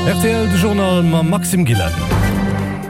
Rtl, De Journal mam Maxime Gillen.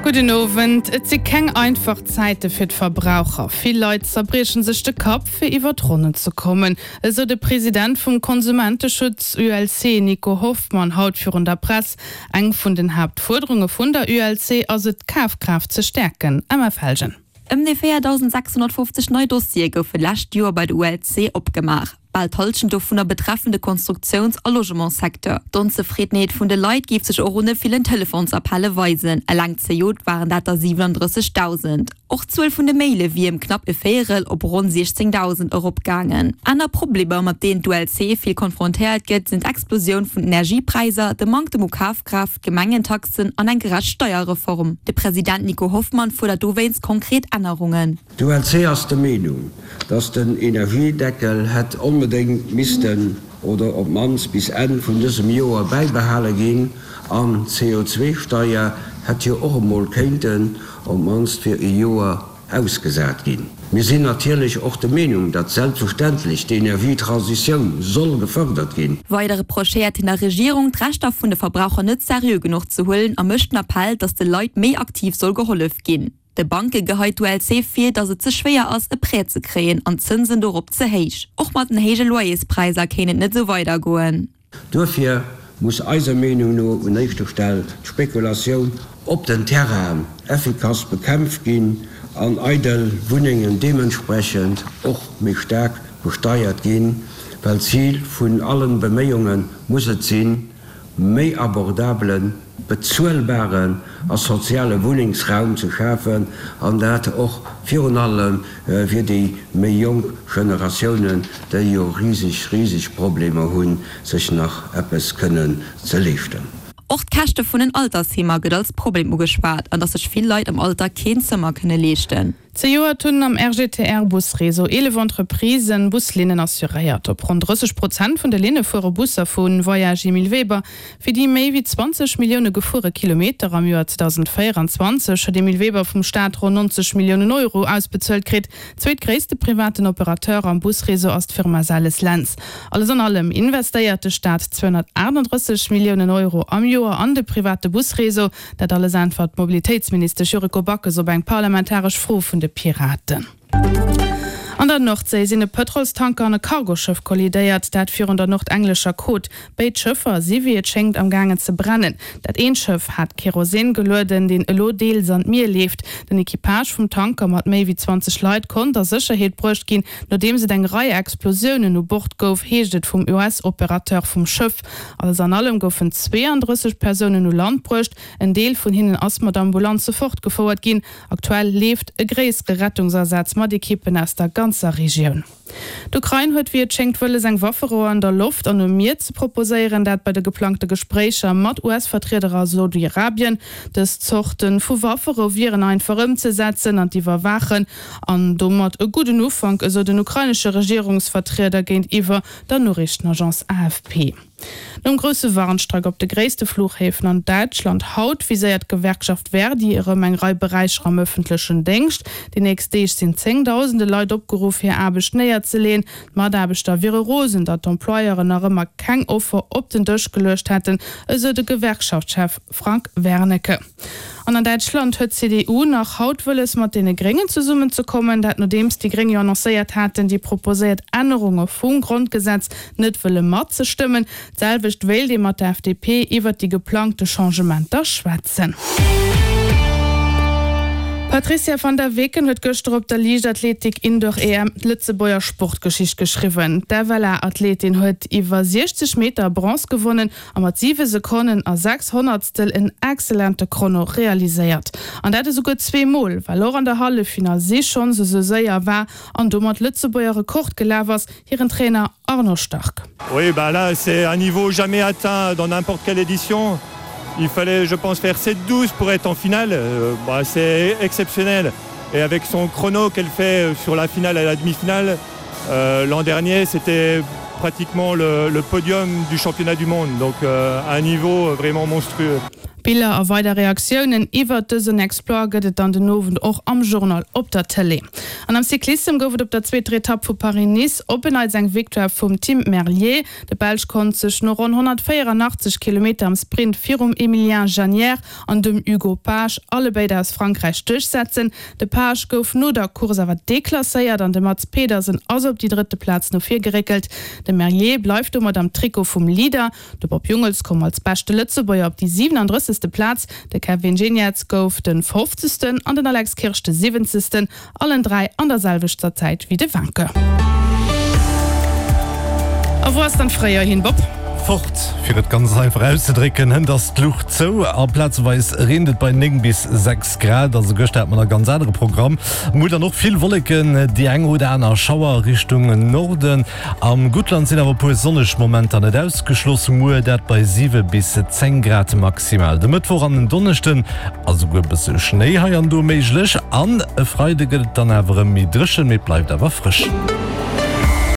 Gudden Owend. Et si keng einfach Zäite fir d'Verbraucher. Vill Leit zerbrieche sech de Kapp, fir iwwer d'Ronnen ze kommen. Esou de President vum Konsumenteschutz ULC, Nico Hoffmann, haut virun der Press. Eng vun den Haaptfuerderunge vun der ULC ass et, d'Kafkraaft ze stäerken. Emma Felgen. Ëm déi 4.650 nei Dossiere goufe lescht Joer bei der ULC opgemaach. Bal d'Hallschent dovunner betreffen de Konstruktiouns a Logementssecteur. D'Onzefriddenheet vun de Leit géif sech och un de villen Telefonsappelle weisen. Eleng zejoert waren dat der 37.000. Och d'Zuel vun de Maile wier ëm knapp e Véierel op ronn 16.000 eropgaangen. Aner Problemer, mat deenen d'ULC vill konfrontéiert gëtt, sinn d'Explosioun vun den Energiepräisser, de Manktem u Kafkraaft, D'Gemengentaxen an eng gerecht Steierreform. De President Nico Hoffmann fuerdert dowéinst konkret Ännerungen. D'ULC ass der Meenung, datt den Energiedeckel hätt onbedéngt missten oder op d'mannst bis Enn vun dësem Joer bäibehale ginn an d'CO2-Steier hätt jo och emol kéinten op d'mannst fir e Joer ausgesat ginn. Mir sinn natierlech och der Meenung, datt selbstverständlech d'Energietransitioun soll gefërdert ginn. Weider reprochéiert hien der Regierung, d'Rechter vun de Verbraucher net seriö genuch ze huelen a mécht den Appell, datt de Leit méi aktiv soll gehollef ginn. De Banke geheit d'ULC vir, datt et ze schwéier ass, e Prêt ze kréien an d'Zënsen dorop ze héich. Och mat den héije Loyerspräisser kéint et net esou weidergoen. Duerfir muss eiser Meenung no un éischter Stell d'Spekulatioun op den Terrainen effikass bekämpft ginn an eidel Wunnengen deementsprechend och méi staark besteiert ginn, well d'Zil vun allen Beméiunge muss et sinn, méi abordabelen, bezuelbaren a soziale Wunnengsraum ze schafen, an dat och virun allem fir déi méi jonk Generatiounen, déi jo riseg, riseg Problemer hunn, sech nach eppes kënnen ze leeschten. Och d'Käschte vun den Altersheemer gëtt als Problem ugeschwat an datt sech vill Leit am Alter keen Zëmmer kënne leeschten. Zejoert hunn am RGTR-Busreseau 11 Entreprisen Buslinnen assuréiert. Op ronn 30 Prozent vun de Linne fuere Busser vu Voyages Emile Weber. Fir déi méi wéi 20 Millioune gefuere Kilometer am Joer 2024 huet Emile Weber vum Staat ronn 90 Milliounen Euro ausbezuelt kritt. Zweetgréisste privaten Operateur am Busreseau ass d'Firma Sales Lentz. Alles an allem investéiert de Staat 238 Milliounen Euro am Joer an de private Busreseau. Dat alles äntwert d'Mobilitéitsministesch Yuriko Backes op eng parlamentaresch Fro vun de Piraten. An der Nordséi sinn e Pëtrolstanker an e Cargoschëff kollidéiert, dat virun der nordenglescher Côte. Béid Schëffer si wéi et schéngt am gaangen ze brennen. Dat eent Schëff hat Kerosin gelueden, deen elo deels an d'Mier leeft. Den Equipage vum Tanker mat méi wéi 20 Leit konnt a Sécherheet bruecht ginn, nodeems et eng Rei Explosiounen u Bord gouf, heescht et vum US-Operateur vum Schëff. Alles an allem goufen 32 Persounen u Land bruecht, en Deel vun hinnen ass mat Ambulanze fortgefouert ginn. Aktuell leeft e gréissere Rettungsasaz mat Ekippen aus der ganzer Regioun. D'Ukrain huet wéi et schéngt wëlles eng Wafferou an der Loft an um Mier ze proposéieren, dat bei de geplangte Gespréicher mat US-Vertrieder a Saudi-Arabien. Dës Zorte vu Wafferou wieren einfach ëmzesetzen an z'iwwerwaachen an domat e gudden Ufank, esou den ukrainesche Regierungsvertrieder géintiwwer der Noriichtenagence AFP. Nom grousse Warnstreik op de gréisste Fluchhäfen an Däitschland haut, viséiert d'Gewerkschaft Verdi erëm eng Rei Beräicher am ëffentlechen Déngscht. Déi nächst Deeg sinn zéngdausende Leit opgeruff, hir Aarbecht néierzeleeën. D'Mataarbechter wiere rosen, datt d'Employeuren nach ëmmer keng Offer op den Dësch geluecht hätten, esou de Gewerkschaftschef Frank Wernicke. An an Däitschland huet d'CDU nach haut wëlles mat deene Gréngen zesummen ze kommen. Dat nodeems déi Gréng jo annoncéiert haten, déi proposéiert Ännerunge vum Grondgesetz net wëlle matzestëmmen. D'selwecht wéilt ee mat der FDP iwwert déi geplangte Changementer schwätzen. D'Patrizia van der Weken huet gëschter op der Liichtathletik-Indoor-EM d'Lëtzebuerger Sportgeschicht geschriwwen. D'FLA-Athletin huet iwwer 60 Meter Bronze gewonnen a mat 7 Sekonnen a 6 Honnertstel en excellente Chrono realiséiert. An dat esouguer zweemol, well och an der Halleffinall si schonns esou séier war an domat Lëtzebuerger Rekord gelaf ass, hiren Trainer Arnaud Starck. Oui bah là c'est un niveau jamais atteint dans n'importe quelle édition. Il fallait je pense faire 7-12 pour être en finale. Bah c'est exceptionnel et avec son chrono qu'elle fait sur la finale et la demi-finale euh, l'an dernier c'était. pratiquement le, le podium du championnat du monde donc euh, un niveau vraiment monstrueux. Biller a weider Reaktiounen iwwert dësen Exploit gëtt et dann den Owend och am Journal op der Tëlee. An am Cyclissem gouf et op der zweeter Etapp vu Paris-Nice op en Neits eng Victoire vum Tim Merlier. De Belsch konnt sech no ronn 184 Kilometer am Sprint virum Emilien Janière an dem Hugo Page, allebéid aus Frankräich, duerchsetzen. De Page gouf no der Course awer deklasséiert an de Mads Pedersen ass op déi drëtte Plaz no vir geréckelt. De Merlier bleift domat am Trikot vum Leader. De Bob Jungels koum als beschte Lëtzebuerger op déi 37. Plaz, de Kevin Geniets gouf de 50. An den Alex Kirsch de 70. Allen 3 an der selwechter Zäit wéi de Wanke. A wou ass dann d'Fréijoer hin, Bob? Fort, fir et ganz einfach auszedrécken, hënt ass d'Luucht zou a plazeweis reent et bei 9 bis 6 Grad. Also gëschter hat mer e ganz anere Programm. Muer dann och vill Wolleken, déi eng oder aner Schauer Richtung Norden. Am Guttland sinn awer e puer sonneg Momenter net ausgeschloss, muer dat bei 7 bis 10 Grad maximal. De Mëttwoch an den Donneschden ass esouguer e bësse Schnéi hei an do méiglech an e Freide gëtt et dann awer erëm méi dréchen, mee et bleift awer frësch.